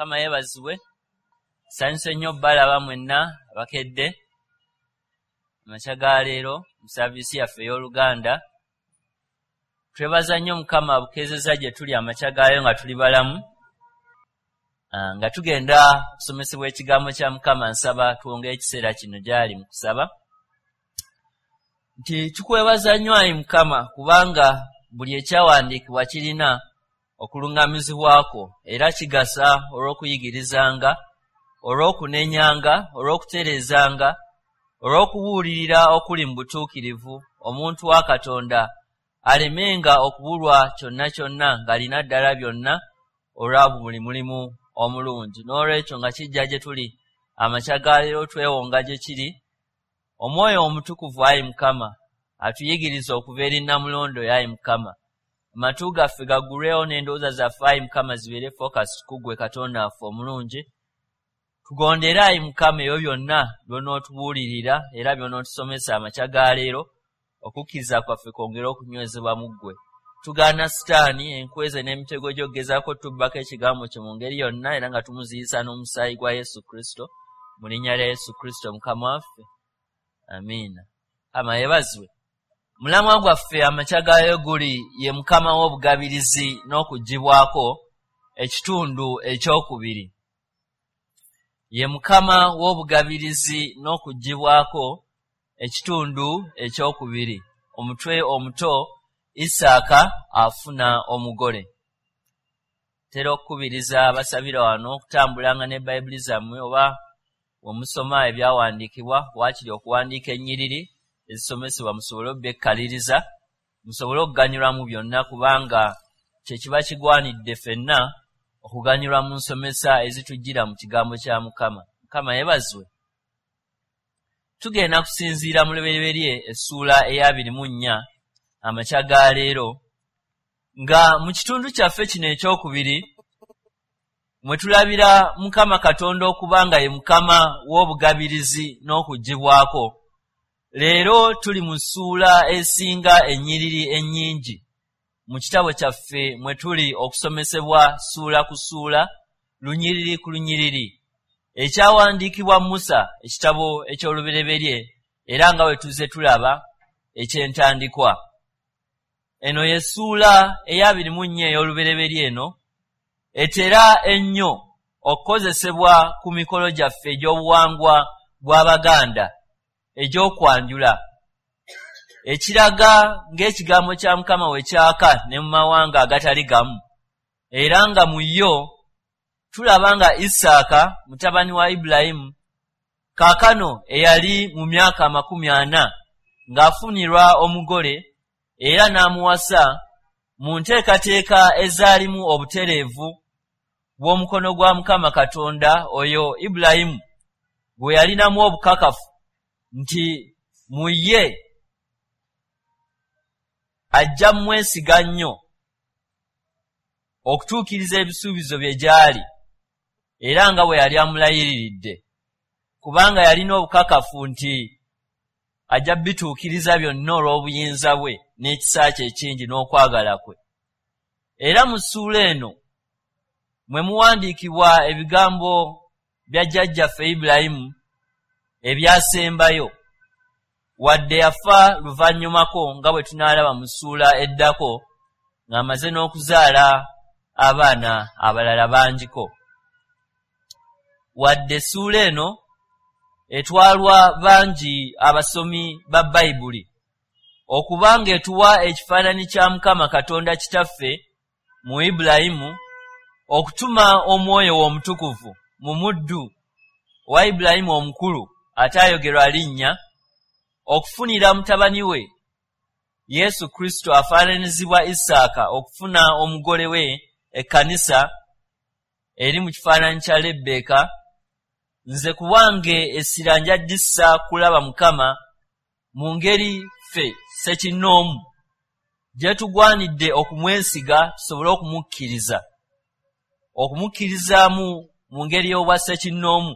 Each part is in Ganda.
Mukama yeebazibwe. Nsanyuse nnyo obbalaba mwenna abakedde amakya ga leero mu saaviisi yaffe ey'Oluganda. Twebaza nnyo Mukama abukeezezza gye tuli amakya gaayo nga tuli balamu. Nga tugenda okusomesebwa ekigambo kya Mukama, nsaba twongere ekiseera kino gy'ali mu kusaba. Nti tukwebaza nnyo ayi Mukama, kubanga buli ekyawandiikibwa kirina okuluŋŋamizibwako era kigasa olw'okuyigirizanga, olw'okunenyanga, olw'okutereezanga, olw'okubuulirira okuli mu butuukirivu, omuntu wa Katonda alemenga okubulwa kyonna kyonna ng'alina ddala byonna olwa buli mulimu omulungi. N'olwekyo nga kijja gye tuli amakya ga leero twewonga gye kiri, Omwoyo Omutukuvu ayi Mukama atuyigiriza okuva eri Nnamulondo ayi Mukama. Amatu gaffe gaggulwewo n'endowooza zaffe ayi Mukama zibeere focused ku ggwe Katonda waffe omulungi. Tugondere ayi Mukama ebyo byonna by'onootubuulirira era by'onootusomesa amakya ga leero, okukkiriza kwaffe kwongere okunywezebwa mu ggwe. Tugaana Sitaani, enkweze n'emitego gy'okugezaako tubbako ekigambo kye mu ngeri yonna, era nga tumuziyisa n'omusaayi gwa Yesu Kristo. Mu linnya lya Yesu Kristo Mukama waffe, amiina. Mukama yeebazibwe. Mulamwa gwaffe amakya gaayo guli ye Mukama w'obugabirizi n'okuggyibwako, ekitundu ekyokubiri. Ye Mukama w'obugabirizi n'okuggyibwako, ekitundu ekyokubiri. Omutwe omuto, Isaaka afuna omugole. Ntera okukubiriza abasabira wano okutambulanga ne Bayibuli zammwe oba we musoma ebyawandiikibwa, waakiri okuwandiika ennyiriri ezisomesebwa musobole obbekkaliriza, musobole okuganyulwa mu byonna, kubanga kye kiba kigwanidde ffenna okuganyulwa mu nsomesa ezitujjira mu kigambo kya Mukama. Mukama yeebazibwe. Tugenda kusinziira mu Lubereberye essuula eya 24 amakya ga leero, nga mu kitundu kyaffe kino ekyokubiri mwe tulabira Mukama Katonda okuba nga ye Mukama w'obugabirizi n'okuggyibwako. Leero tuli mu ssuula esinga ennyiriri ennyingi mu kitabo kyaffe mwe tuli okusomesebwa ssuula ku ssuula, lunyiriri ku lunyiriri, ekyawandiikibwa Musa, ekitabo eky'Olubereberye, era nga bwe tuzze tulaba eky'entandikwa. Eno ye ssuula eya 24 ey'Olubereberye. Eno etera ennyo okukozesebwa ku mikolo gyaffe egy'obuwangwa bw'Abaganda egy'okwanjula, ekiraga ng'ekigambo kya Mukama we kyaka ne mu mawanga agatali gamu, era nga mu yo tulaba nga Isaaka mutabani wa Ibulayimu kaakano eyali mu myaka 40 ng'afunirwa omugole era n'amuwasa mu nteekateeka ezaalimu obutereevu bw'omukono gwa Mukama Katonda, oyo Ibulayimu gwe yalinamu obukakafu nti mu ye ajja mmwesiga nnyo okutuukiriza ebisuubizo bye gy'ali, era nga bwe yali amulayiriridde, kubanga yalina obukakafu nti ajja bituukiriza byonna olw'obuyinza bwe n'ekisa kye ekingi n'okwagala kwe. Era mu ssuula eno mwe muwandiikibwa ebigambo bya jjajjaffe Ibulayimu ebyasembayo, wadde yafa luvannyumako nga bwe tunaalaba mu ssuula eddako, ng'amaze n'okuzaala abaana abalala bangiko. Wadde essuula eno etwalwa bangi abasomi ba Bayibuli okuba ng'etuwa ekifaananyi kya Mukama Katonda Kitaffe mu Ibulayimu okutuma Omwoyo we Omutukuvu mu muddu wa Ibulayimu omukulu ataayogerwa linnya, okufunira mutabani we Yesu Kristo afaananyizibwa Isaaka okufuna omugole we ekkanisa eri mu kifaananyi kya Lebbeeka, nze ku bwange essira nja ddissa kulaba Mukama mu ngeri ffe ssekinnoomu gye tugwanidde okumwesiga tusobole okumukkiriza, okumukkirizaamu mu ngeri y'obwa ssekinnoomu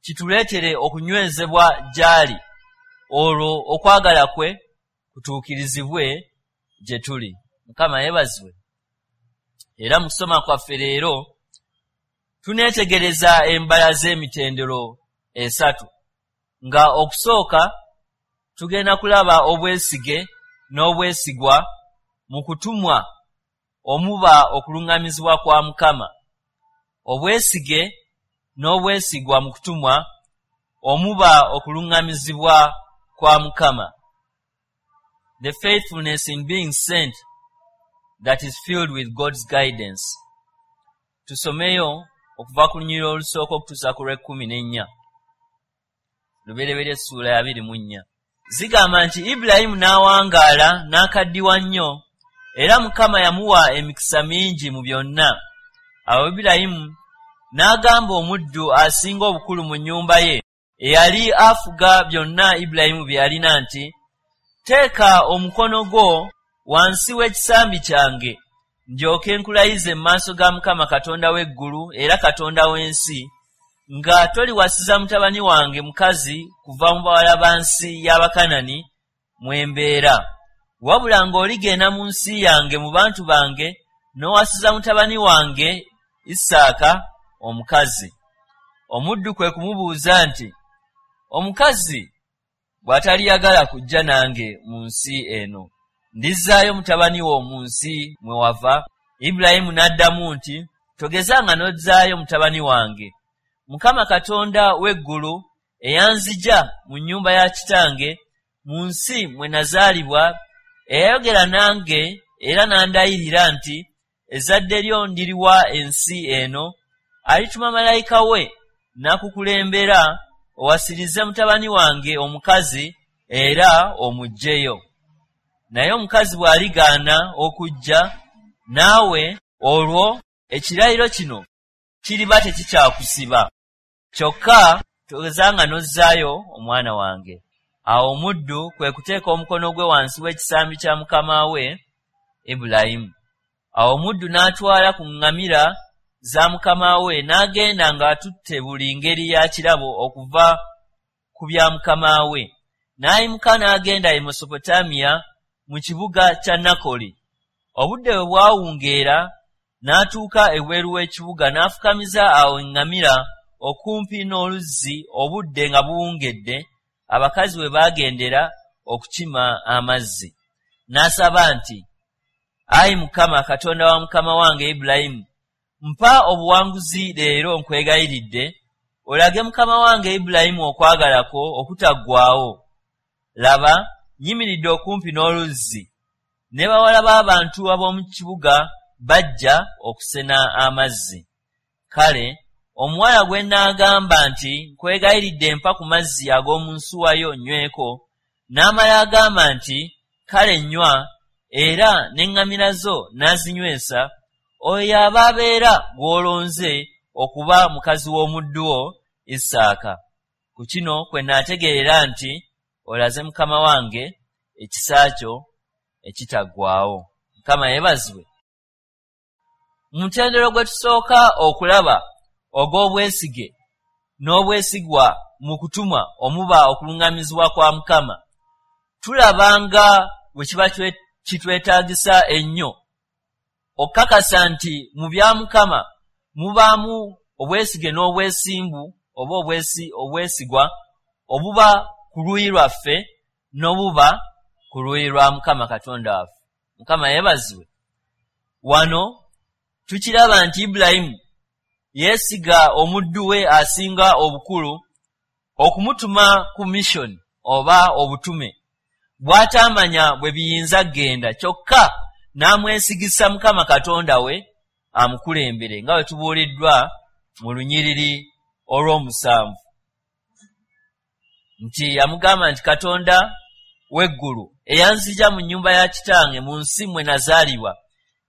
kituleetere okunywezebwa gy'ali, olwo okwagala kwe kutuukirizibwe gye tuli. Mukama yeebazibwe. Era mu kusoma kwaffe leero Tuneetegereza embala z'emitendero esatu, nga okusooka tugenda kulaba obwesige n'obwesigwa mu kutumwa omuba okuluŋŋamizibwa kwa Mukama. Obwesige n'obwesigwa mu kutumwa omuba okuluŋŋamizibwa kwa Mukama. The faithfulness in being sent that is filled with God's guidance. Tusomeyo okuva ku lunyiriri olusooka okutuusa ku lw'ekkumi n'ennya, Lubereberye essuula ya 24. Zigamba nti, "Ibulayimu n'awangaala n'akaddiwa nnyo, era Mukama yamuwa emikisa mingi mu byonna. Awo Ibulayimu n'agamba omuddu asinga obukulu mu nnyumba ye, eyali afuga byonna Ibulayimu bye yalina nti, 'Teeka omukono gwo wansi w'ekisambi kyange, ndyoke nkulayize mu maaso ga Mukama Katonda w'eggulu era Katonda w'ensi, nga toliwasiza mutabani wange mukazi kuva mu bawala ba nsi y'Abakanani mwe mbeera, wabula ng'oligenda mu nsi yange mu bantu bange n'owasiza mutabani wange Isaaka omukazi.' Omuddu kwe kumubuuza nti, 'Omukazi bw'ataliyagala kujja nange mu nsi eno, ndizzaayo mutabani wo mu nsi mwe wava?' Ibulayimu n'addamu nti, 'Togezanga n'ozzaayo mutabani wange. Mukama Katonda w'eggulu eyanzigya mu nnyumba ya kitange, mu nsi mwe nazaalibwa, eyayogera nange era n'andayirira nti, Ezzadde lyo ndiriwa ensi eno, alituma malayika we n'akukulembera owasirize mutabani wange omukazi era omuggyeyo. Naye omukazi bw'aligaana okujja naawe, olwo ekirayiro kino kiriba tekikyakusiba. Kyokka togezanga n'ozzaayo omwana wange.' Awo omuddu kwe kuteeka omukono gwe wansi w'ekisambi kya mukama we Ibulayimu. Awo omuddu n'atwala ku ŋŋamira za mukama we n'agenda ng'atutte buli ngeri ya kirabo okuva ku bya mukama we. N'ayimuka n'agenda e Mesopotamiya mu kibuga kya Nakoli. Obudde bwe bwawungeera n'atuuka ebweru w'ekibuga n'afukamiza awo eŋŋamira okumpi n'oluzzi obudde nga buwungedde, abakazi we baagendera okukima amazzi. N'asaba nti, Ayi Mukama Katonda wa mukama wange Ibulayimu, mpa obuwanguzi leero nkwegayiridde, olage mukama wange Ibulayimu okwagala kwo okutaggwaawo. Laba, nnyimiridde okumpi n'oluzzi, ne bawala b'abantu ab'omu kibuga bajja okusena amazzi. Kale omuwala gwe nnaagamba nti, Nkwegayiridde mpa ku mazzi ag'omu nsuwa yo nnyweko, n'amala agamba nti, Kale nnywa, era n'eŋŋamira zo nnaazinywesa, oyo y'aba abeera gw'olonze okuba mukazi w'omuddu wo Isaaka. Ku kino kwe nnaategeerera nti olaze mukama wange ekisa kyo ekitaggwaawo." Mukama yeebazibwe. Mu mutendera gwe tusooka okulaba ogw'obwesige n'obwesigwa mu kutumwa omuba okuluŋŋamizibwa kwa Mukama, tulaba nga bwe kiba kitwetaagisa ennyo okukakasa nti mu bya Mukama mubaamu obwesige n'obwesimbu oba obwesigwa obuba ku luuyi lwaffe n'obuba ku luuyi lwa Mukama Katonda waffe. Mukama yeebazibwe. Wano tukiraba nti Ibulayimu yeesiga omuddu we asinga obukulu okumutuma ku mission oba obutume bw'ataamanya bwe biyinza kugenda, kyokka n'amwesigisa Mukama Katonda we amukulembere, nga bwe tubuuliddwa mu lunyiriri olw'omusanvu nti yamugamba nti, "Katonda w'eggulu eyanzigya mu nnyumba ya kitange, mu nsi mwe nazaalibwa,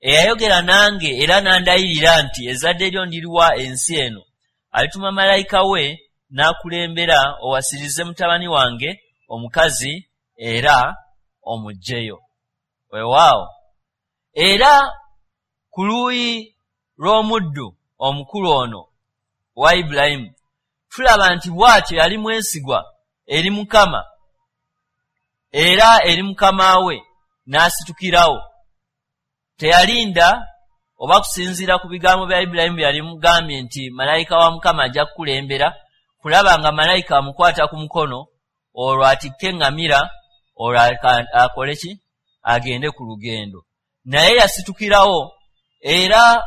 eyayogera nange era n'andayirira nti, Ezzadde lyo ndiriwa ensi eno, alituma malayika we n'akulembera owasirize mutabani wange omukazi era omuggyeyo." Weewaawo, era ku luuyi lw'omuddu omukulu ono wa Ibulayimu tulaba nti bw'atyo yali mwesigwa eri Mukama era eri mukama we, n'asitukirawo. Teyalinda oba kusinziira ku bigambo bya Ibulayimu bye yali mugambye nti malayika wa Mukama ajja kukulembera, kulaba nga malayika amukwata ku mukono, olwo atikke eŋŋamira, olwo akole ki? Agende ku lugendo. Naye yasitukirawo, era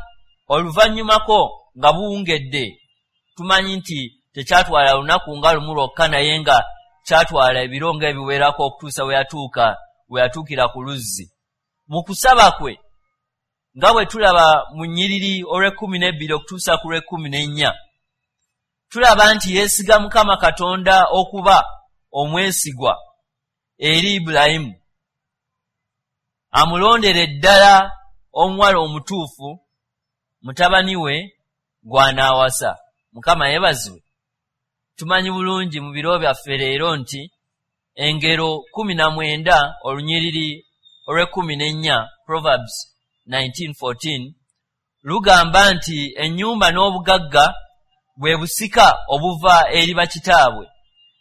oluvannyumako nga buwungedde, tumanyi nti tekyatwala lunaku nga lumu lwokka, naye nga kyatwala ebiro ng'ebiwerako okutuusa we yatuukira ku luzzi. Mu kusaba kwe, nga bwe tulaba mu nnyiriri olw'e12 okutuusa ku lw'e14, tulaba nti yeesiga Mukama Katonda okuba omwesigwa eri Ibulayimu, amulondere ddala omuwala omutuufu mutabani we gw'anaawasa. Mukama yeebazibwe. Tumanyi bulungi mu biro byaffe leero nti Engero 19 olunyiriri olw'e14, Proverbs 19:14, lugamba nti ennyumba n'obugagga bwe busika obuva eri bakitaabwe,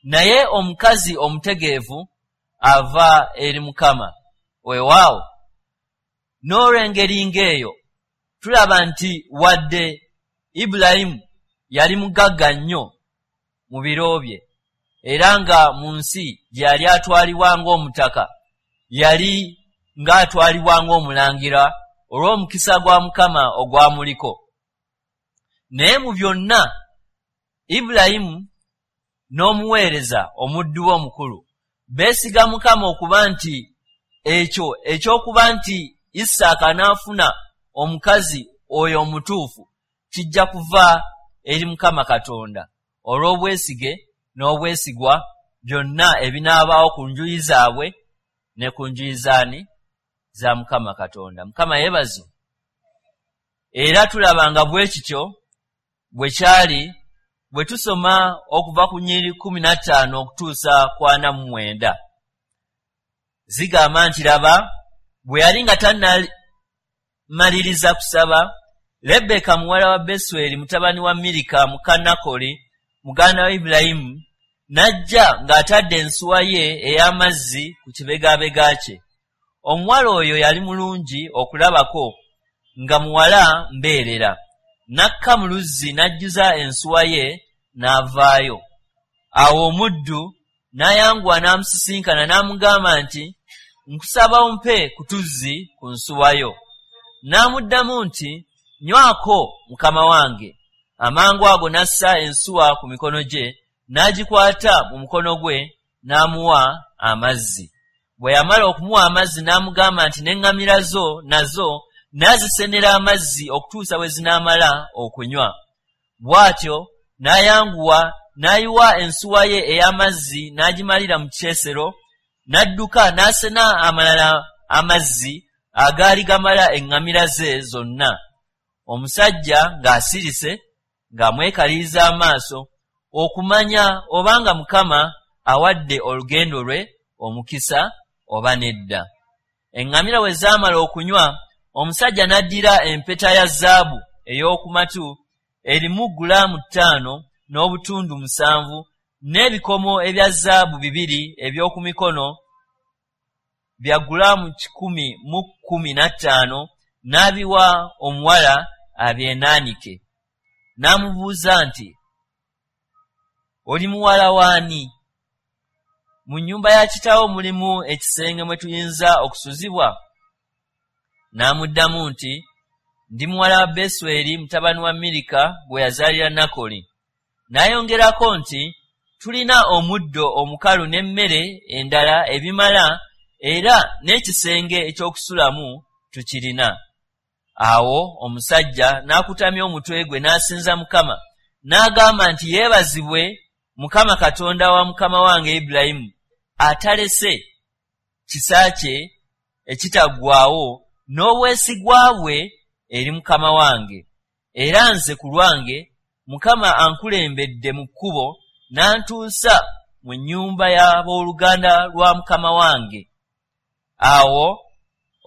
naye omukazi omutegeevu ava eri Mukama. Weewaawo, n'olw'engeri ng'eyo tulaba nti wadde Ibulayimu yali mugagga nnyo mu biro bye, era nga mu nsi gye yali atwalibwa ng'omutaka, yali ng'atwalibwa ng'omulangira olw'omukisa gwa Mukama ogwamuliko. Naye mu byonna Ibulayimu n'omuweereza omuddu we omukulu beesiga Mukama okuba nti ekyo eky'okuba nti Isaaka anaafuna omukazi oyo omutuufu kijja kuva eri Mukama Katonda olw'obwesige n'obwesigwa byonna ebinaabaawo ku njuyi zaabwe ne ku njuyi zaani za Mukama Katonda. Mukama yeebazibwe. Era tulaba nga bwe kityo bwe kyali bwe tusoma okuva ku nnyiriri 15 okutuusa ku 49. Zigamba nti laba, bwe yali nga tannamaliriza kusaba, Lebbeeka muwala wa Besweri mutabani wa Mirika muka Nakoli muganda wa Ibulayimu n'ajja ng'atadde ensuwa ye ey'amazzi ku kibegaabega kye. Omuwala oyo yali mulungi okulabako, nga muwala mbeerera. N'akka mu luzzi n'ajjuza ensuwa ye n'avaayo. Awo omuddu n'ayanguwa n'amusisinkana n'amugamba nti, Nkusaba ompe ku tuzzi ku nsuwa yo. N'amuddamu nti, Nywako, mukama wange. Amangu ago n'assa ensuwa ku mikono gye, n'agikwata mu mukono gwe, n'amuwa amazzi. Bwe yamala okumuwa amazzi n'amugamba nti, N'eŋŋamira zo nazo naazisenera amazzi okutuusa bwe zinaamala okunywa. Bw'atyo n'ayanguwa n'ayiwa ensuwa ye ey'amazzi n'agimalira mu kyesero, n'adduka n'asena amalala amazzi agaali gamala eŋŋamira ze zonna. Omusajja ng'asirise ng'amwekaliriza amaaso okumanya obanga Mukama awadde olugendo lwe omukisa oba nedda. Eŋŋamira bwe zaamala okunywa, omusajja n'addira empeta ya zaabu ey'oku matu erimu gulaamu 5.7 n'ebikomo ebya zaabu 2 eby'oku mikono bya gulaamu 115 n'abiwa omuwala abyenaanike. N'amubuuza nti, Oli muwala w'ani? Mu nnyumba ya kitaawo mulimu ekisenge mwe tuyinza okusuzibwa? N'amuddamu nti, Ndi muwala wa Besweri mutabani wa Mirika gwe yazaalira Nakoli. N'ayongerako nti, Tulina omuddo omukalu n'emmere endala ebimala era n'ekisenge eky'okusulamu tukirina. Awo omusajja n'akutamya omutwe gwe n'asinza Mukama, n'agamba nti, Yeebazibwe Mukama Katonda wa mukama wange Ibulayimu, atalese kisa kye ekitaggwaawo n'obwesigwa bwe eri mukama wange. Era nze ku lwange, Mukama ankulembedde mu kkubo n'antuusa mu nnyumba y'abooluganda lwa mukama wange. Awo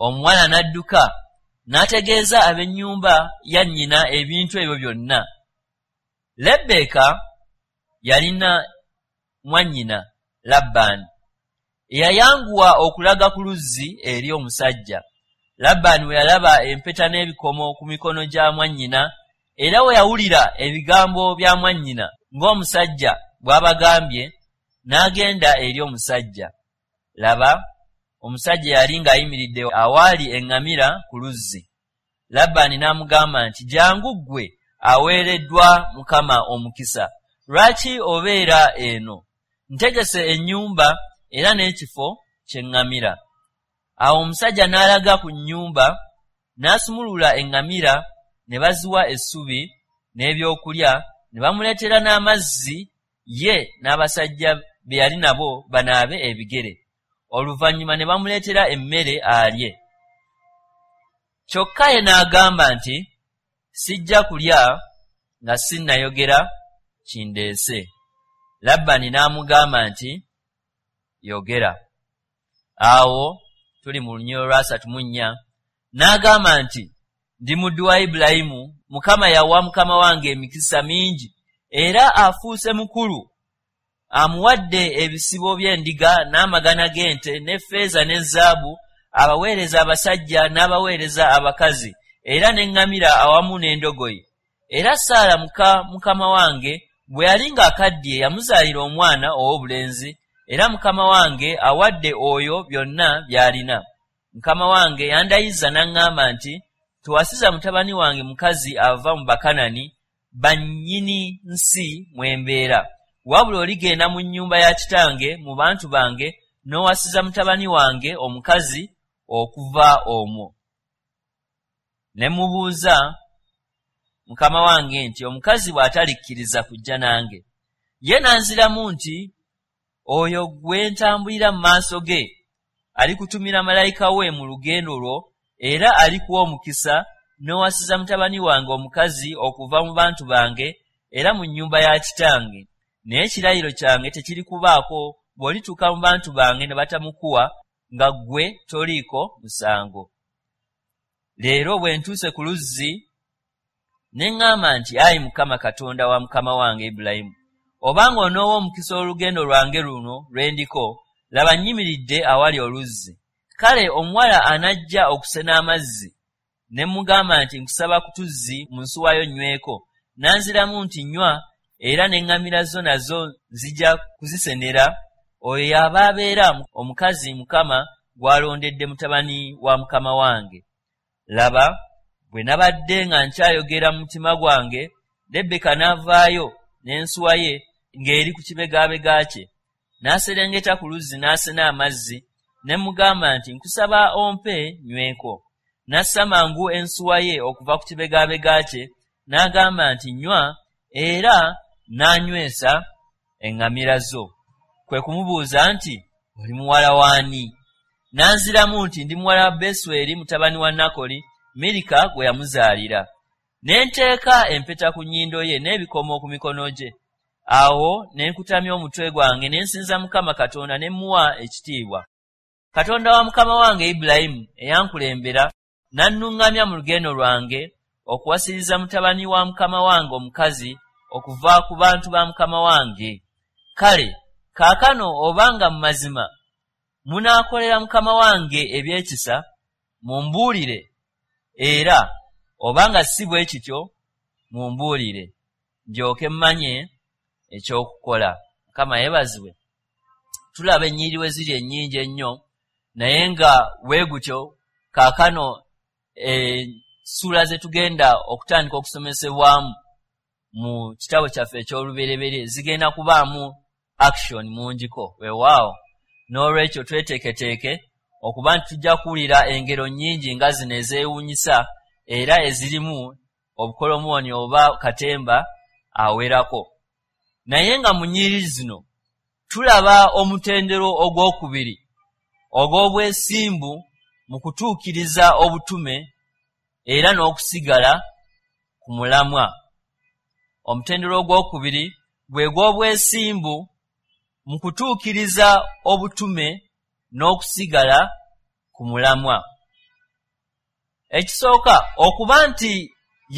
omuwala n'adduka n'ategeeza ab'ennyumba ya nnyina ebintu ebyo byonna. Lebbeeka yalina mwannyina Labbaani, eyayanguwa okulaga ku luzzi eri omusajja. Labbaani bwe yalaba empeta n'ebikomo ku mikono gya mwannyina, era we yawulira ebigambo bya mwannyina ng'omusajja bw'abagambye, n'agenda eri omusajja. Laba, omusajja yali ng'ayimiridde awaali eŋŋamira ku luzzi. Labbaani n'amugamba nti, Jjangu ggwe aweereddwa Mukama omukisa, lwaki obeera eno? Ntegese ennyumba era n'ekifo ky'eŋŋamira. Awo omusajja n'alaga ku nnyumba, n'asumulula eŋŋamira, ne baziwa essubi n'ebyokulya, ne bamuleetera n'amazzi ye n'abasajja be yali nabo banaabe ebigere. Oluvannyuma ne bamuleetera emmere alye. Kyokka ye n'agamba nti, Sijja kulya nga sinnayogera kindeese. Labbaani n'amugamba nti, Yogera. Awo tuli mu lunyiriri lwa 34. N'agamba nti, Ndi muddu wa Ibulayimu. Mukama yawa mukama wange emikisa mingi, era afuuse mukulu. Amuwadde ebisibo by'endiga n'amagana g'ente n'effeeza ne zaabu, abaweereza abasajja n'abaweereza abakazi, era n'eŋŋamira awamu n'endogoyi. Era Saala muka mukama wange bwe yali ng'akaddiye yamuzaalira omwana ow'obulenzi, era mukama wange awadde oyo byonna by'alina. Mukama wange yandayiza n'aŋŋamba nti, Towasiza mutabani wange mukazi ava mu Bakanani, bannyini nsi mwe mbeera. Wabula oligenda mu nnyumba ya kitange mu bantu bange n'owasiza mutabani wange omukazi okuva omwo. Ne mmubuuza mukama wange nti, Omukazi bw'atalikkiriza kujja nange? Ye n'anziramu nti, Oyo gwe ntambulira mu maaso ge alikutumira malayika we mu lugendo lwo era alikuwa omukisa n'owasiza mutabani wange omukazi okuva mu bantu bange era mu nnyumba ya kitange. Naye ekirayiro kyange tekirikubaako bw'olituuka mu bantu bange ne batamukuwa, nga ggwe toliiko musango. Leero bwe ntuuse ku luzzi, ne ŋŋamba nti, Ayi Mukama Katonda wa mukama wange Ibulayimu, obanga onoowa omukisa olugendo lwange luno lwe ndiko, laba nnyimiridde awali oluzzi. Kale omuwala anajja okusena amazzi, ne mmugamba nti, Nkusaba ku tuzzi mu nsuwa yo nnyweko, n'anziramu nti, Nnywa, era n'eŋŋamira zo nazo nzija kuzisenera, oyo y'aba abeera omukazi Mukama gw'alondedde mutabani wa mukama wange. Laba, bwe nabadde nga nkyayogera mu mutima gwange, Lebbeka n'avaayo n'ensuwa ye ng'eri ku kibegaabega kye. N'aserengeta ku luzzi n'asena amazzi, ne mmugamba nti, Nkusaba ompe nnyweko. N'assa mangu ensuwa ye okuva ku kibegaabega kye, n'agamba nti, Nnywa, era nnaanywesa eŋŋamira zo. Kwe kumubuuza nti, Oli muwala w'ani? N'anziramu nti, Ndi muwala wa Besweri mutabani wa Nakoli, Mirika gwe yamuzaalira. Ne nteeka empeta ku nnyindo ye n'ebikomo ku mikono gye. Awo ne nkutamya omutwe gwange ne nsinza Mukama Katonda ne mmuwa ekitiibwa. Katonda wa mukama wange Ibulayimu eyankulembera n'annuŋŋamya mu lugendo lwange okuwasiriza mutabani wa mukama wange omukazi okuva ku bantu ba mukama wange. Kale kaakano obanga mu mazima munaakolera mukama wange eby'ekisa, mumbuulire, era obanga si bwe kityo, mumbuulire, ndyoke mmanye eky'okukola. Mukama yeebazibwe. Tulaba ennyiriri we ziri ennyingi ennyo, naye nga bwe gutyo kaakano essuula ze tugenda okutandika okusomesebwamu mu kitabo kyaffe eky'Olubereberye zigenda kubaamu action mungiko. Weewaawo, n'olwekyo tweteeketeeke okuba nti tujja kuwulira engero nnyingi nga zino ezeewuunyisa era ezirimu obukolomooni oba katemba awerako. Naye nga mu nnyiriri zino tulaba omutendera ogwokubiri ogw'obwesimbu mu kutuukiriza obutume era n'okusigala ku mulamwa. Omutendera ogwokubiri gwe gw'obwesimbu mu kutuukiriza obutume n'okusigala ku mulamwa. Ekisooka, okuba nti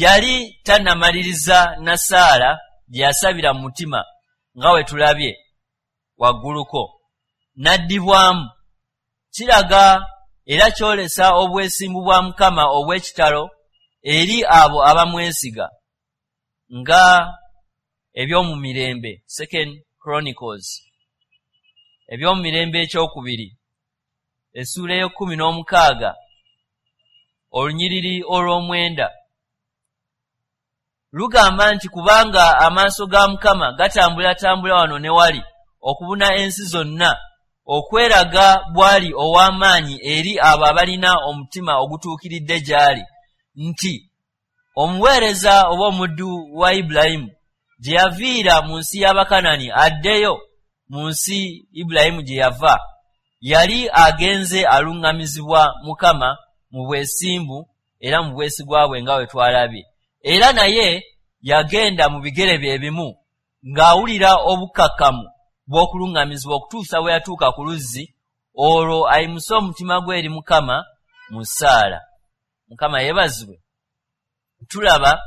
yali tannamaliriza na ssaala gye yasabira mu mutima nga bwe tulabye wagguluko, n'addibwamu, kiraga Era kyolesa obwesimbu bwa Mukama obw'ekitalo eri abo abamwesiga, nga Ebyomumirembe, Second Chronicles, Ebyomumirembe ekyokubiri, essuula ey'ekumi n'omukaga, olunyiriri olw'omwenda, lugamba nti, "Kubanga amaaso ga Mukama gatambulatambula wano ne wali okubuna ensi zonna, okweraga bw'ali ow'amaanyi eri abo abalina omutima ogutuukiridde gy'ali," nti omuweereza oba omuddu wa Ibulayimu gye yaviira mu nsi y'Abakanani addeyo mu nsi Ibulayimu gye yava, yali agenze aluŋŋamizibwa Mukama mu bwesimbu era mu bwesigwa bwe, nga bwe twalabye. Era naye yagenda mu bigere bye bimu ng'awulira obukkakkamu bw'okuluŋŋamizibwa okutuusa bwe yatuuka ku luzzi olwo ayimuse omutima gwe eri Mukama mu ssaala. Mukama yeebazibwe. Tulaba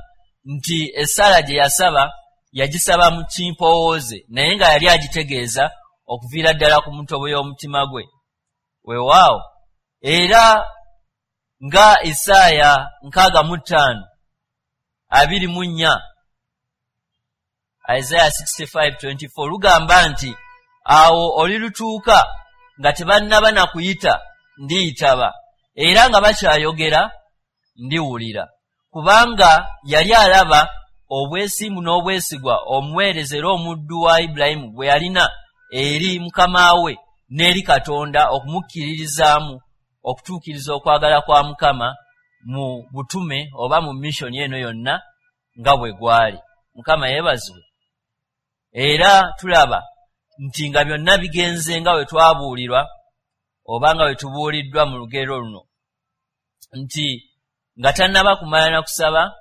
nti essaala gye yasaba yagisaba mu kimpowooze, naye nga yali agitegeeza okuviira ddala ku mutobo y'omutima gwe. Weewaawo, era nga Isaaya 65:24, Isaiah 65:24, lugamba nti, "Awo olilutuuka nga tebannaba na kuyita, ndiyitaba, era nga bakyayogera, ndiwulira," kubanga yali alaba obwesimbu n'obwesigwa omuweereza era omuddu wa Ibulayimu bwe yalina eri mukama we n'eri Katonda, okumukkiririzaamu okutuukiriza okwagala kwa Mukama mu butume oba mu mission eno yonna nga bwe gwali. Mukama yeebazibwe. Era tulaba nti nga byonna bigenze nga bwe twabuulirwa oba nga bwe tubuuliddwa mu lugero luno, nti nga tannaba kumala na kusaba,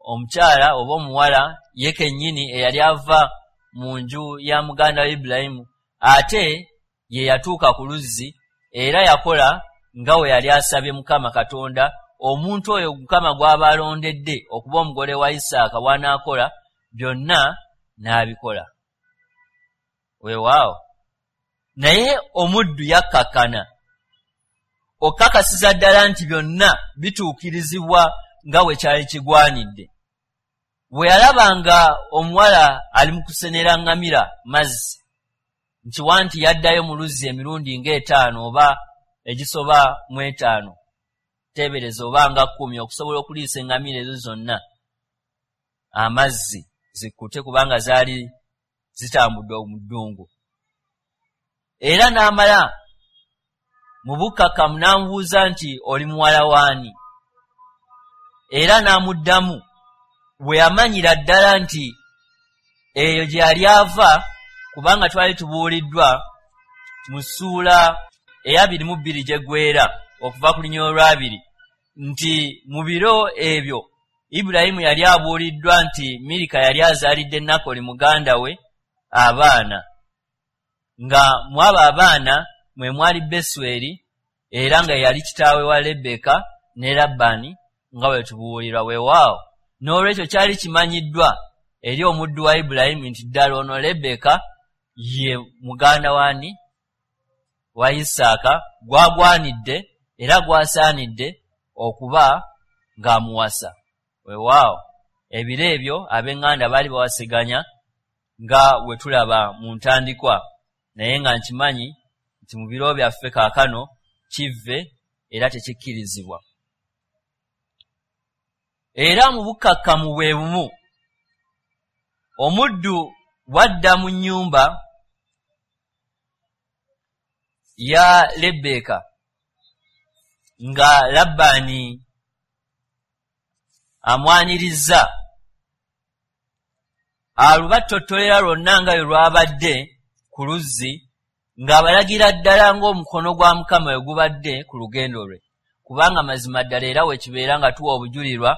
omukyala oba omuwala ye kennyini eyali ava mu nju ya muganda wa Ibulayimu ate ye yatuuka ku luzzi, era yakola nga we yali asabye Mukama Katonda. Omuntu oyo Mukama gw'aba alondedde okuba omugole wa Isaaka bw'anaakola byonna, n'abikola. Weewaawo, naye omuddu yakkakkana okukakasiza ddala nti byonna bituukirizibwa nga bwe kyali kigwanidde. Bwe yalaba nga omuwala ali mu kusenera ŋŋamira mazzi, nkiwa nti yaddayo mu luzzi emirundi ng'etaano oba egisoba mu etaano, teebereza oba nga 10, okusobola okuliisa eŋŋamira ezo zonna amazzi zikkute, kubanga zaali zitambudde mu ddungu. Era n'amala mu bukkakkamu n'amubuuza nti, "Oli muwala waani?" Era n'amuddamu bwe yamanyira ddala nti eyo gye yali ava, kubanga twali tubuuliddwa mu ssuula eya 22 gyeggwera okuva ku lunyiriri olwabiri nti mu biro ebyo Ibulayimu yali abuuliddwa nti Mirika yali azaalidde Nakoli muganda we abaana, nga mu abo abaana mwe mwali Besweri, era nga yali kitaawe wa Lebbeeka ne Labbaani, nga bwe tubuulirwa. Weewaawo, n'olwekyo kyali kimanyiddwa eri omuddu wa Ibulayimu nti ddala ono Lebbeeka ye muganda wani wa Isaaka, gwagwanidde era gwasaanidde okuba ng'amuwasa. Weewaawo, ebiro ebyo ab'eŋŋanda baali bawaseganya nga we tulaba mu ntandikwa, naye nga nkimanyi nti mu biro byaffe kaakano kivve era tekikkirizibwa. Era mu bukkakkamu bwe bumu, omuddu bwadda mu nnyumba ya Lebbeeka nga Labbaani amwanirizza, alubattottolera lwonna nga bwe lwabadde ku luzzi, ng'abalagira ddala ng'omukono gwa Mukama we gubadde ku lugendo lwe, kubanga mazima ddala era we kibeera nga tuwa obujulirwa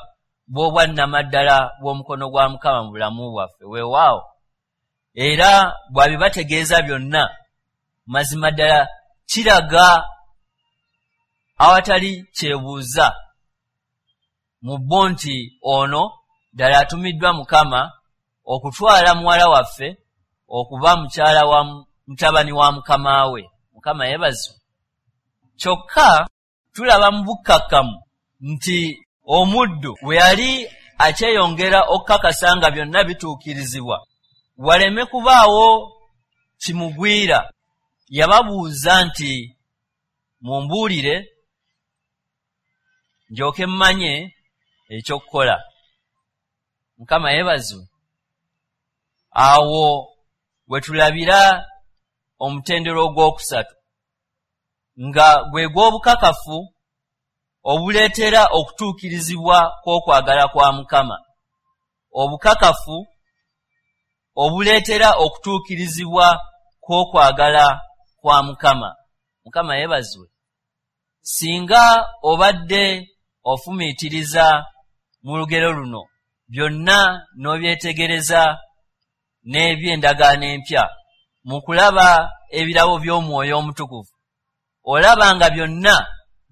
bw'obwannamaddala bw'omukono gwa Mukama mu bulamu bwaffe. Weewaawo, era bw'abibategeeza byonna, mazima ddala kiraga awatali kyebuuza mu bo nti ono ddala atumiddwa Mukama okutwala muwala waffe okuba mukyala wa mutabani wa mukama we. Mukama yeebazibwe. Kyokka Tulaba mu bukkakkamu nti omuddu bwe yali akyeyongera okukakasa nga byonna bituukirizibwa, waleme kubaawo kimugwira, yababuuza nti, mumbuulire ndyoke mmanye ekyokukola. Mukama yeebazibwe. Awo we tulabira omutendera ogwokusatu, nga gwe gw'obukakafu obuleetera okutuukirizibwa kw'okwagala kwa Mukama. Obukakafu obuleetera okutuukirizibwa kw'okwagala kwa Mukama. Mukama yeebazibwe. Singa obadde ofumiitiriza mu lugero luno byonna n'obyetegereza n'eby'endagaano empya mu kulaba ebirabo by'Omwoyo Omutukuvu, olaba nga byonna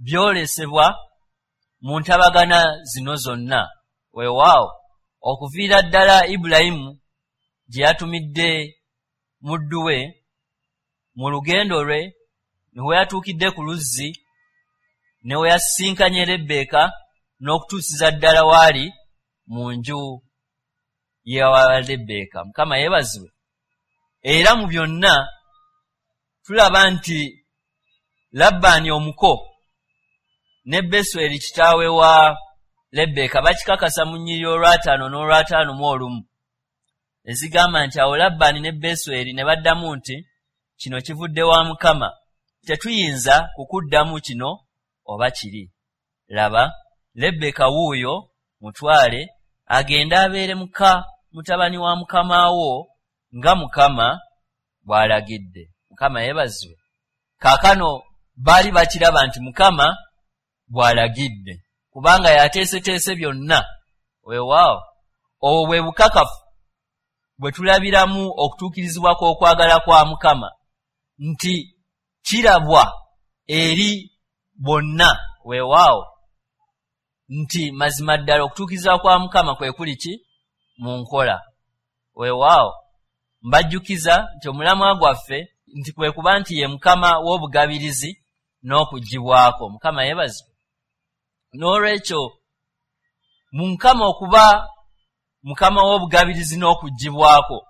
byolesebwa mu ntabagana zino zonna. Weewaawo, okuviira ddala Ibulayimu gye yatumidde muddu we mu lugendo lwe, ne we yatuukidde ku luzzi, ne we yasisinkanye Lebbeeka, n'okutuusiza ddala waali mu nju ya Lebbeeka. Mukama yeebazibwe. Era mu byonna tulaba nti Labbaani omuko ne Besweri kitaawe wa Lebbeeka bakikakasa mu nnyiriri olwataano n'olwataano mu olumu, ezigamba nti, awo Labbaani ne Besweri ne baddamu nti, kino kivudde wa Mukama, tetuyinza kukuddamu kino oba kiri. Laba, Lebbeeka wuuyo, mutwale agende abeere muka mutabani wa mukama wo nga Mukama bw'alagidde. Mukama yeebazibwe. Kaakano baali bakiraba nti Mukama bw'alagidde, kubanga yateeseteese byonna. Weewaawo, obwo bwe bukakafu bwe tulabiramu okutuukirizibwa kw'okwagala kwa Mukama, nti kirabwa eri bonna. Weewaawo, nti mazima ddala okutuukirizibwa kwa Mukama kwe kuli ki mu nkola. Weewaawo, mbajjukiza nti omulamwa gwaffe nti kwe kuba nti ye Mukama w'obugabirizi n'okuggyibwako. Mukama yeebazibwe. N'olwekyo mu Mukama okuba Mukama w'obugabirizi n'okuggyibwako,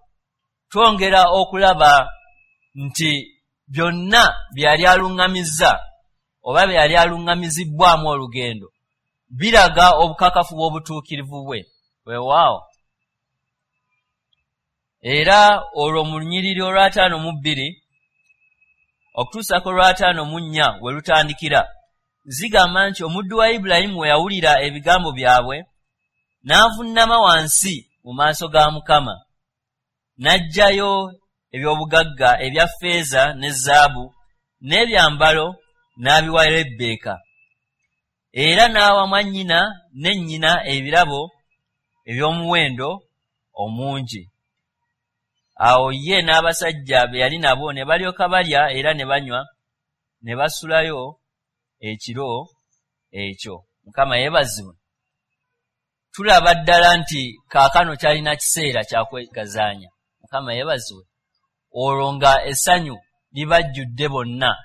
twongera okulaba nti byonna bye yali aluŋŋamizza oba bye yali aluŋŋamizibbwamu olugendo biraga obukakafu bw'obutuukirivu bwe. Weewaawo, era olwo mu lunyiriri olw'ataano mu bbiri okutuusa ku lw'ataano mu nnya we lutandikira, zigamba nti omuddu wa Ibulayimu we yawulira ebigambo byabwe, n'avunnama wansi mu maaso ga Mukama, n'aggyayo eby'obugagga ebya ffeeza ne zaabu n'ebyambalo n'abiwa Lebbeeka, era n'awa mwannyina ne nnyina ebirabo eby'omuwendo omungi. Awo ye n'abasajja be yali nabo ne balyoka balya era ne banywa, ne basulayo ekiro ekyo. Mukama yeebazibwe. Tulaba ddala nti kaakano kyalina kiseera kya kwegazaanya. Mukama yeebazibwe. Olwo nga essanyu libajjudde bonna.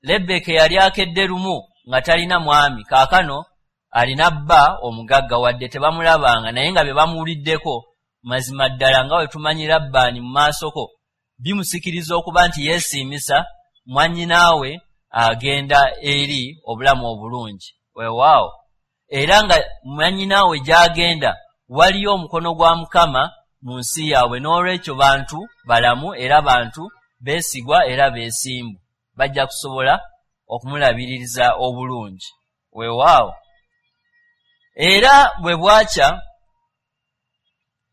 Lebbeeka yali akedde lumu nga talina mwami, kaakano alina bba omugagga, wadde tebamulabanga, naye nga bye bamuwuliddeko mazima ddala nga bwe tumanyi Labbaani mu maasoko bimusikiriza okuba nti yeesiimisa mwannyinaawe agenda eri obulamu obulungi. Weewaawo, era nga mwannyinaawe gy'agenda waliyo omukono gwa Mukama mu nsi yaabwe, n'olwekyo bantu balamu era bantu beesigwa era beesimbu, bajja kusobola okumulabiririza obulungi. Weewaawo, era bwe bwakya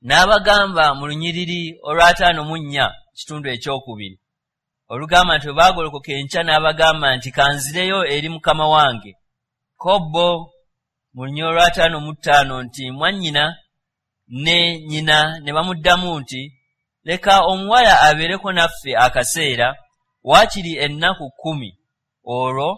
n'abagamba mu lunyiriri olw'ataano mu nnya kitundu ekyokubiri olugamba nti bwe baagolokoka enkya n'abagamba nti kanzireyo eri mukama wange. Ko bo mu lunyiriri olw'ataano mu ttaano nti mwannyina ne nnyina ne bamuddamu nti leka omuwala abeereko naffe akaseera waakiri ennaku 10 olwo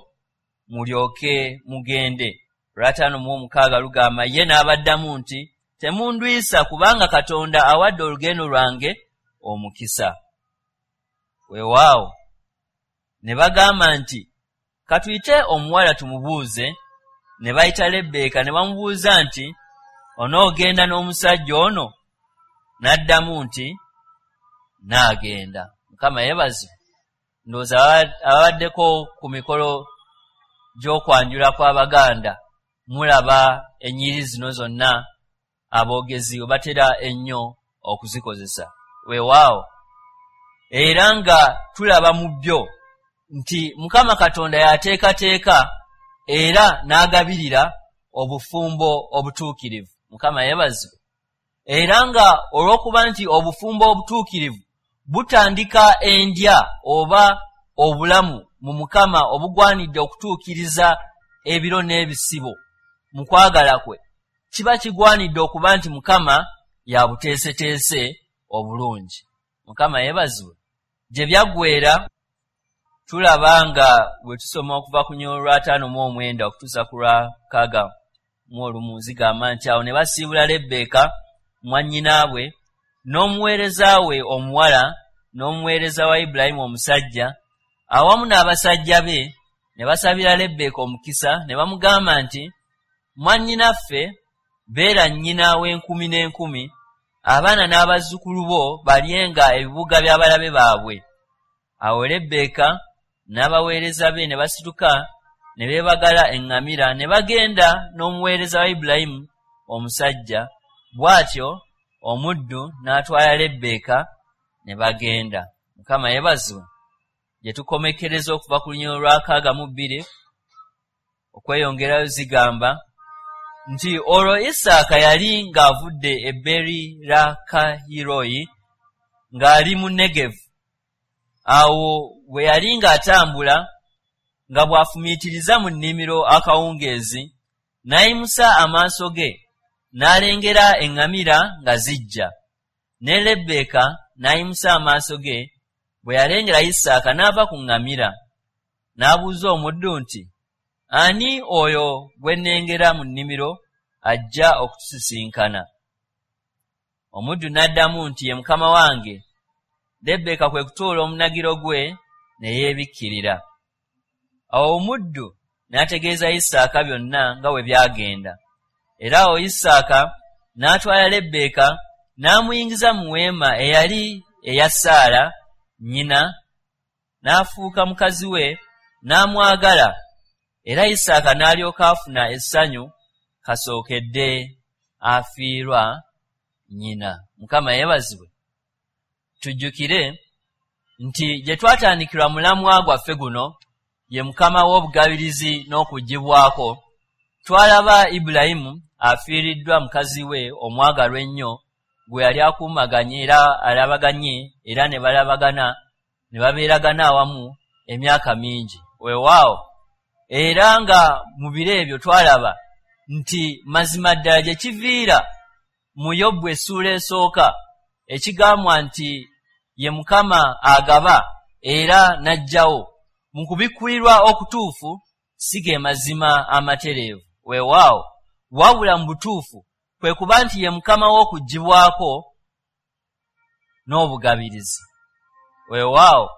mulyoke mugende. Olw'ataano mu omukaaga lugamba ye n'abaddamu nti temundwisa kubanga Katonda awadde olugendo lwange omukisa. Weewaawo, ne bagamba nti Katuyite omuwala tumubuuze. Ne bayita Lebbeeka ne bamubuuza nti, onoogenda n'omusajja ono? N'addamu nti, naagenda. Mukama yeebazibwe. Ndowooza ababaddeko ku mikolo gy'okwanjula kw'Abaganda mulaba ennyiriri zino zonna aboogezi we batera ennyo okuzikozesa. Weewaawo, era nga tulaba mu byo nti Mukama Katonda y'ateekateeka era n'agabirira obufumbo obutuukirivu. Mukama yeebazibwe. Era nga olw'okuba nti obufumbo obutuukirivu butandika endya oba obulamu mu Mukama obugwanidde okutuukiriza ebiro n'ebisibo mu kwagala kwe, kiba kigwanidde okuba nti Mukama y'abuteeseteese obulungi. Mukama yeebazibwe. Gye byaggweera tulaba nga bwe tusoma okuva ku nnyolo lwa 59 okutuusa ku lwa 61, zigamba nti awo ne basiibula Lebbeeka mwannyinaabwe n'omuweereza we omuwala n'omuweereza wa Ibulayimu omusajja awamu n'abasajja be, ne basabira Lebbeeka omukisa ne bamugamba nti, mwannyinaffe, beera nnyina w'enkumi n'enkumi, abaana n'abazzukulu bo balyenga ebibuga by'abalabe baabwe. Awo Lebbeeka n'abaweereza be ne basituka ne beebagala eŋŋamira ne bagenda n'omuweereza wa Ibulayimu omusajja. Bw'atyo omuddu n'atwala Lebbeeka ne bagenda. Mukama yeebazibwe. Gye tukomekkereza okuva ku lunyiriri lwa 62 okweyongerayo zigamba nti olwo Isaaka yali ng'avudde e Beeriraakayiroyi ng'ali mu Negevu. Awo bwe yali ng'atambula nga bw'afumiitiriza mu nnimiro akawungeezi, n'ayimusa amaaso ge n'alengera eŋŋamira nga zijja. Ne Lebbeeka n'ayimusa amaaso ge bwe yalengera Isaaka n'ava ku ŋŋamira. N'abuuza omuddu nti, ani oyo gwe nnengera mu nnimiro ajja okutusisinkana? Omuddu n'addamu nti, ye mukama wange. Lebbeeka kwe kutoola omunagiro gwe ne yeebikkirira. Awo omuddu n'ategeeza Isaaka byonna nga bwe byagenda. Era awo Isaaka n'atwala Lebbeeka n'amuyingiza mu weema eyali eya Saala nnyina, n'afuuka mukazi we, n'amwagala. Era Isaaka n'alyoka afuna essanyu kasookedde afiirwa nnyina. Mukama yeebazibwe. Tujjukire nti gye twatandikirwa mulamwa gwaffe guno ye Mukama w'obugabirizi n'okuggyibwako, twalaba Ibulayimu afiiriddwa mukazi we omwagalwa ennyo gwe yali akuumaganye era alabaganye era ne balabagana ne babeeragana awamu emyaka mingi. Weewaawo, era nga mu biro ebyo twalaba nti mazima ddala gye kiviira mu Yobu essuula esooka ekigambwa nti ye Mukama agaba era n'aggyawo mu kubikkulirwa okutuufu si ge mazima amatereevu. Weewaawo, wabula mu butuufu kwe kuba nti ye Mukama w'okuggyibwako n'obugabirizi. Weewaawo,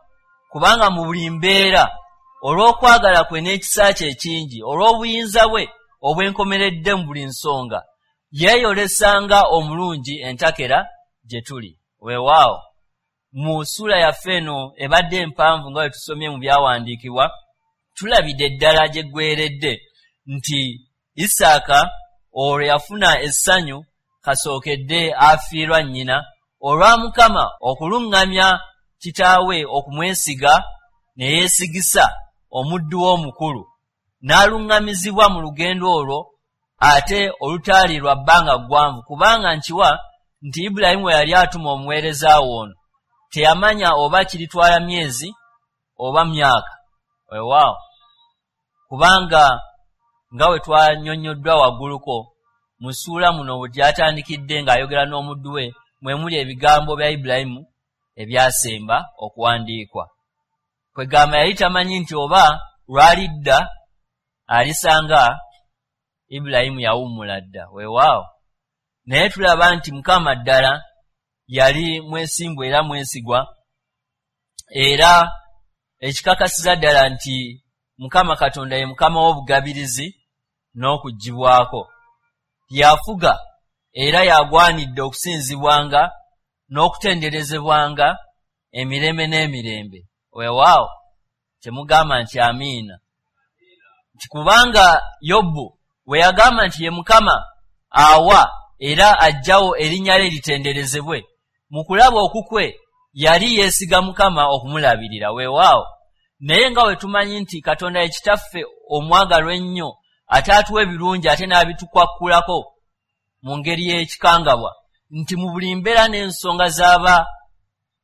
kubanga mu buli mbeera olw'okwagala kwe n'ekisa kye ekingi, olw'obuyinza bwe obwenkomeredde mu buli nsonga, yeeyolesanga omulungi entakera gye tuli. Weewaawo, mu ssuula yaffe eno ebadde empanvu nga bwe tusomye mu byawandiikibwa, tulabidde ddala gye ggweredde nti Isaaka olwo yafuna essanyu kasookedde afiirwa nnyina olwa Mukama okuluŋŋamya kitaawe okumwesiga ne yeesigisa omuddu we omukulu, n'aluŋŋamizibwa mu lugendo olwo ate olutaali lwa bbanga ggwanvu, kubanga nkiwa nti Ibulayimu bwe yali atuma omuweereza we ono teyamanya oba kiritwala myezi oba myaka. Weewaawo, kubanga nga bwe twannyonnyoddwa wagguluko mu ssuula muno we gyatandikidde ng'ayogera n'omuddu we, mwe muli ebigambo bya Ibulayimu ebyasemba okuwandiikwa. Kwegamba yali tamanyi nti oba lwalidda alisanga Ibulayimu yawummula dda. Weewaawo, naye tulaba nti Mukama ddala yali mwesimbu era mwesigwa, era ekikakasiza ddala nti Mukama Katonda ye Mukama w'obugabirizi n'okuggyibwako. Y'afuga era y'agwanidde okusinzibwanga n'okutenderezebwanga emirembe n'emirembe. Weewaawo, temugamba nti amiina. Nti kubanga Yobu we yagamba nti ye Mukama awa era aggyawo, erinnya lye litenderezebwe, mu kulaba okukwe yali yeesiga Mukama okumulabirira. Weewaawo, naye nga bwe tumanyi nti Katonda ye Kitaffe omwagalwa ennyo, ate atuwa ebirungi ate n'abitukwakkulako mu ngeri y'ekikangabwa, nti mu buli mbeera n'ensonga z'aba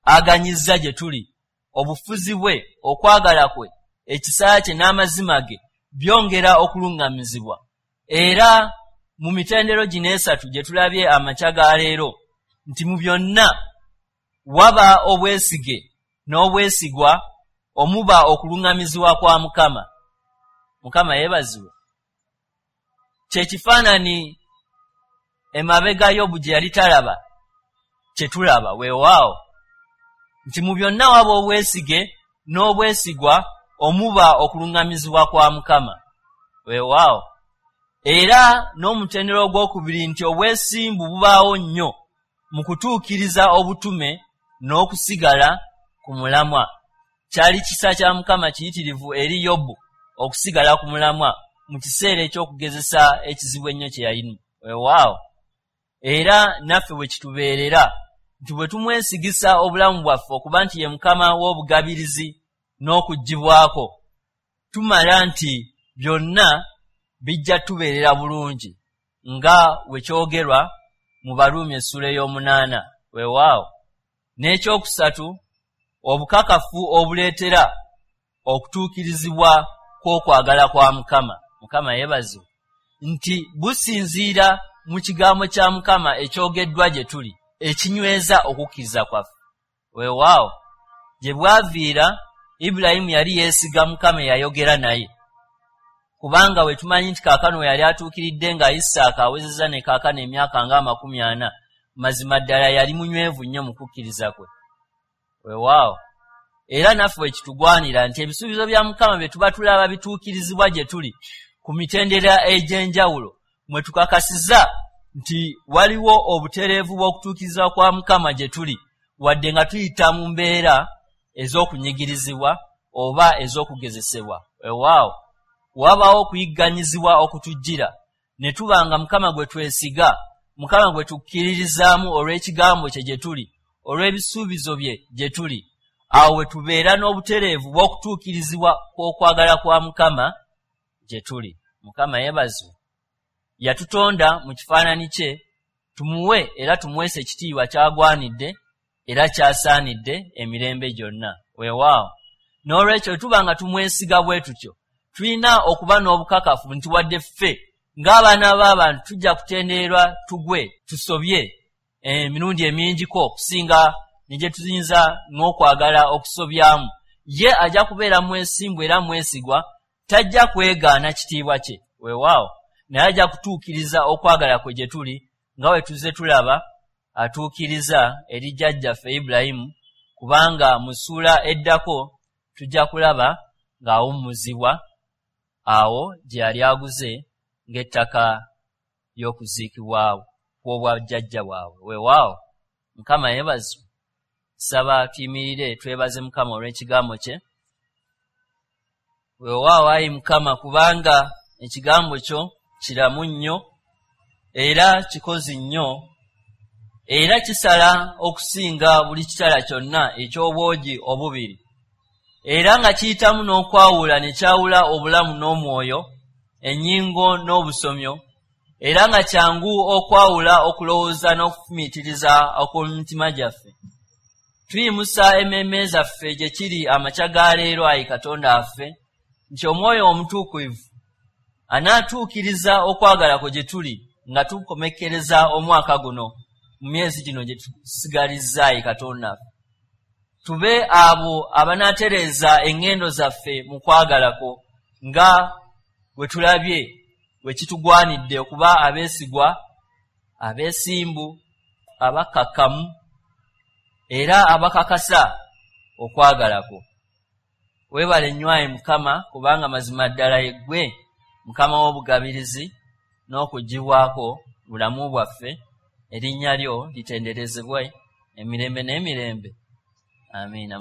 aganyizza gye tuli, obufuzi bwe, okwagala kwe, ekisa kye n'amazima ge byongera okuluŋŋamizibwa. Era mu mitendero gino esatu gye tulabye amakya ga leero, nti mu byonna waba obwesige n'obwesigwa omuba okuluŋŋamizibwa kwa Mukama. Mukama yeebazibwe. Kye kifaananyi emabega Yobu gye yali talaba kye tulaba. Weewaawo, nti mu byonna waba obwesige n'obwesigwa omuba okuluŋŋamizibwa kwa Mukama. Weewaawo, era n'omutendera ogwokubiri nti obwesimbu bubaawo nnyo mu kutuukiriza obutume n'okusigala ku mulamwa. Kyali kisa kya Mukama kiyitirivu eri Yobu okusigala ku mulamwa mu kiseera eky'okugezesa ekizibu ennyo kye yalimu. Weewaawo, era naffe bwe kitubeerera nti bwe tumwesigisa obulamu bwaffe okuba nti ye Mukama w'obugabirizi n'okuggyibwako, tumala nti byonna bijja tubeerera bulungi nga bwe kyogerwa mu Baruumi essuula ey'omunaana. Weewaawo, n'ekyokusatu, obukakafu obuleetera okutuukirizibwa kw'okwagala kwa Mukama. Mukama yeebazibwe. Nti businziira mu kigambo kya Mukama ekyogeddwa gye tuli, ekinyweza okukkiriza kwaffe. Weewaawo, gye bwaviira Ibulayimu yali yeesiga Mukama eyayogera naye, kubanga bwe tumanyi nti kaakano we yali atuukiridde nga Isaaka awezezza ne kaakano emyaka nga 40, mazima ddala yali munywevu nnyo mu kukkiriza kwe. Weewaawo, era naffe bwe kitugwanira nti ebisuubizo bya Mukama bye tuba tulaba bituukirizibwa gye tuli ku mitendera egy'enjawulo, mwe tukakasiza nti waliwo obutereevu bw'okutuukirizibwa kwa Mukama gye tuli, wadde nga tuyita mu mbeera ez'okunyigirizibwa oba ez'okugezesebwa. Weewaawo, wabaawo okuyigganyizibwa okutujjira, ne tuba nga Mukama gwe twesiga, Mukama gwe tukkiririzaamu olw'ekigambo kye gye tuli, olw'ebisuubizo bye gye tuli. Awo we tubeera n'obutereevu bw'okutuukirizibwa kw'okwagala kwa Mukama gye tuli. Mukama yeebazibwe. Yatutonda mu kifaananyi kye, tumuwe era tumuweese ekitiibwa ky'agwanidde era ky'asaanidde emirembe gyonna. Weewaawo, n'olwekyo bwe tuba nga tumwesiga bwe tutyo, tulina okuba n'obukakafu nti wadde ffe ng'abaana b'abantu tujja kutendererwa tugwe tusobye emirundi emingiko okusinga ne gye tuyinza n'okwagala okusobyamu, ye ajja kubeera mwesimbu era mwesigwa, tajja kwegaana kitiibwa kye. Weewaawo, naye ajja kutuukiriza okwagala kwe gye tuli nga bwe tuzze tulaba atuukiriza eri jjajjaffe Ibulayimu, kubanga mu ssuula eddako tujja kulaba ng'awummuzibwa awo gye yali aguze ng'ettaka ly'okuziikibwa kw'obwajjajja bwabwe. Weewaawo, Mukama yeebazibwe. Nsaba tuyimirire twebaze Mukama olw'ekigambo kye. Weewaawo ayi Mukama, kubanga ekigambo kyo kiramu nnyo era kikozi nnyo, era kisala okusinga buli kitala kyonna eky'obwogi obubiri, era nga kiyitamu n'okwawula ne kyawula obulamu n'omwoyo, ennyingo n'obusomyo, era nga kyangu okwawula okulowooza n'okufumiitiriza okw'omu mitima gyaffe. Tuyimusa emmeeme zaffe gye kiri amakya ga leero, ayi Katonda waffe, nti Omwoyo Omutuukirivu anaatuukiriza okwagala kwe gye tuli nga tukomekkereza omwaka guno mu myezi gino gye tusigalizza, ayi Katonda waffe. Tube abo abanaatereeza eŋŋendo zaffe mu kwagala kwo, nga bwe tulabye bwe kitugwanidde okuba abeesigwa, abeesimbu, abakkakkamu era abakakasa okwagala kwo. Weebale nnyo ayi Mukama, kubanga mazima ddala yeggwe Mukama w'obugabirizi n'okuggyibwako bulamu bwaffe. Erinnya lyo litenderezebwe emirembe n'emirembe. Amiina.